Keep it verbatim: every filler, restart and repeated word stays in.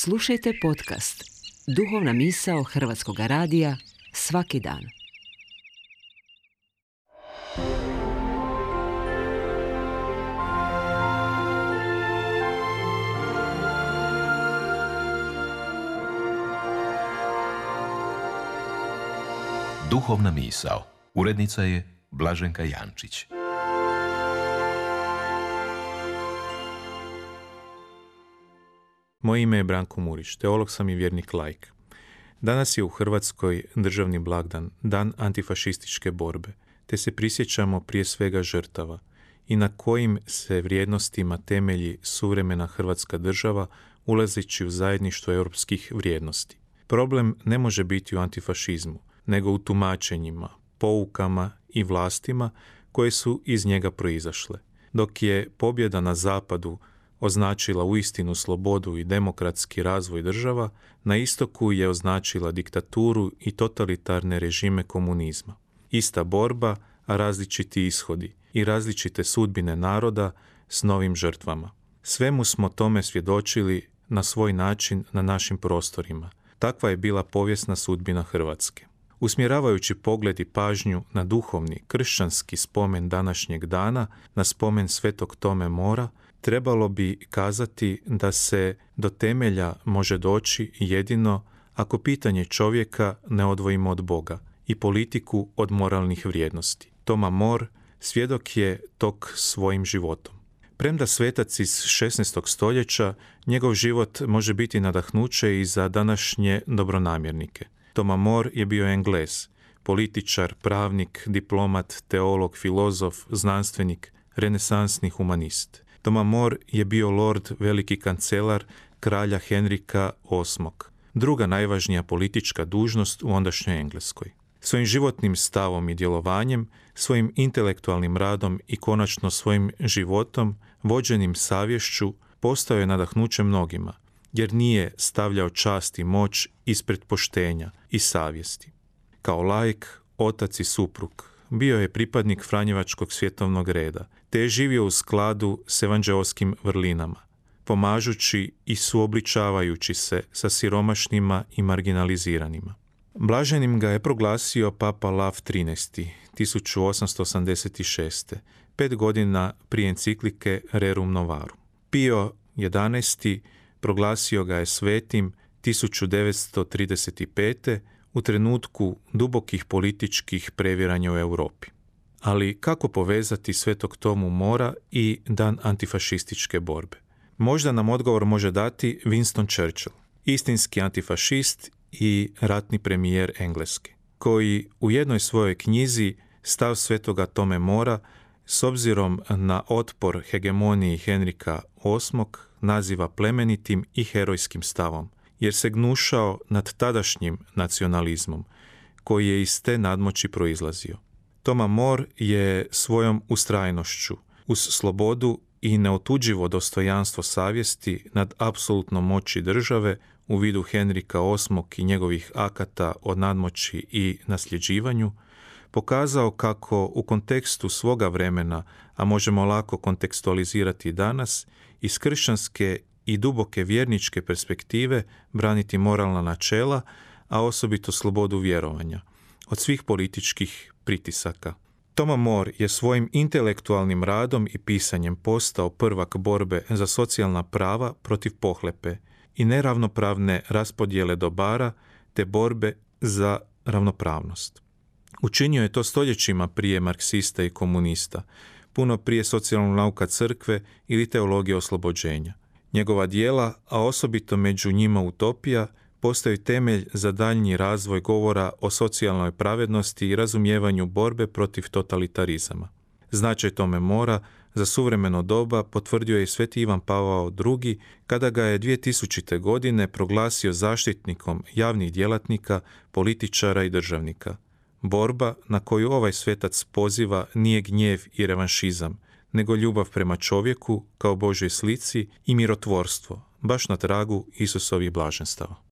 Slušajte podcast Duhovna misao Hrvatskog radija svaki dan. Duhovna misao. Urednica je Blaženka Jančić. Moje ime je Branko Murić, teolog sam i vjernik laik. Danas je u Hrvatskoj državni blagdan, dan antifašističke borbe, te se prisjećamo prije svega žrtava i na kojim se vrijednostima temelji suvremena Hrvatska država ulazeći u zajedništvo europskih vrijednosti. Problem ne može biti u antifašizmu, nego u tumačenjima, poukama i vlastima koje su iz njega proizašle. Dok je pobjeda na zapadu označila uistinu slobodu i demokratski razvoj država, na istoku je označila diktaturu i totalitarne režime komunizma. Ista borba, a različiti ishodi i različite sudbine naroda s novim žrtvama. Svemu smo tome svjedočili na svoj način na našim prostorima. Takva je bila povijesna sudbina Hrvatske. Usmjeravajući pogled i pažnju na duhovni, kršćanski spomen današnjeg dana, na spomen Svetog Tome Mora, trebalo bi kazati da se do temelja može doći jedino ako pitanje čovjeka ne odvojimo od Boga i politiku od moralnih vrijednosti. Toma More svjedok je tog svojim životom. Premda svetac iz šesnaestog stoljeća, njegov život može biti nadahnuće i za današnje dobronamjernike. Toma More je bio Englez, političar, pravnik, diplomat, teolog, filozof, znanstvenik, renesansni humanist. Toma More je bio lord, veliki kancelar kralja Henrika osmog. Druga najvažnija politička dužnost u ondašnjoj Engleskoj. Svojim životnim stavom i djelovanjem, svojim intelektualnim radom i konačno svojim životom, vođenim savješću, postao je nadahnuće mnogima, jer nije stavljao čast i moć ispred poštenja i savjesti. Kao laik, otac i suprug, bio je pripadnik Franjevačkog svjetovnog reda, te je živio u skladu s evanđeoskim vrlinama, pomažući i suobličavajući se sa siromašnima i marginaliziranima. Blaženim ga je proglasio papa Lav trinaesti. tisuću osamsto osamdeset šeste. pet godina prije enciklike Rerum Novarum. Pio jedanaesti. proglasio ga je svetim tisuću devetsto trideset pete. u trenutku dubokih političkih previranja u Europi. Ali kako povezati Svetog Tomu Mora i dan antifašističke borbe? Možda nam odgovor može dati Winston Churchill, istinski antifašist i ratni premijer Engleske, koji u jednoj svojoj knjizi Stav Svetoga Tome Mora s obzirom na otpor hegemoniji Henrika osmog naziva plemenitim i herojskim stavom, jer se gnušao nad tadašnjim nacionalizmom, koji je iz te nadmoći proizlazio. Toma More je svojom ustrajnošću, uz slobodu i neotuđivo dostojanstvo savjesti nad apsolutnom moći države u vidu Henrika osmog i njegovih akata o nadmoći i nasljeđivanju, pokazao kako u kontekstu svoga vremena, a možemo lako kontekstualizirati danas, iz kršćanske i duboke vjerničke perspektive braniti moralna načela, a osobito slobodu vjerovanja, od svih političkih pritisaka. Toma More je svojim intelektualnim radom i pisanjem postao prvak borbe za socijalna prava protiv pohlepe i neravnopravne raspodjele dobara te borbe za ravnopravnost. Učinio je to stoljećima prije marksista i komunista, puno prije socijalnog nauka crkve ili teologije oslobođenja. Njegova djela, a osobito među njima utopija, postaju temelj za daljnji razvoj govora o socijalnoj pravednosti i razumijevanju borbe protiv totalitarizama. Značaj Tome Mora za suvremeno doba potvrdio je i Sveti Ivan Pavao drugi kada ga je dvije tisućite. godine proglasio zaštitnikom javnih djelatnika, političara i državnika. Borba na koju ovaj svetac poziva nije gnjev i revanšizam, nego ljubav prema čovjeku kao Božoj slici i mirotvorstvo, baš na tragu Isusovih blaženstava.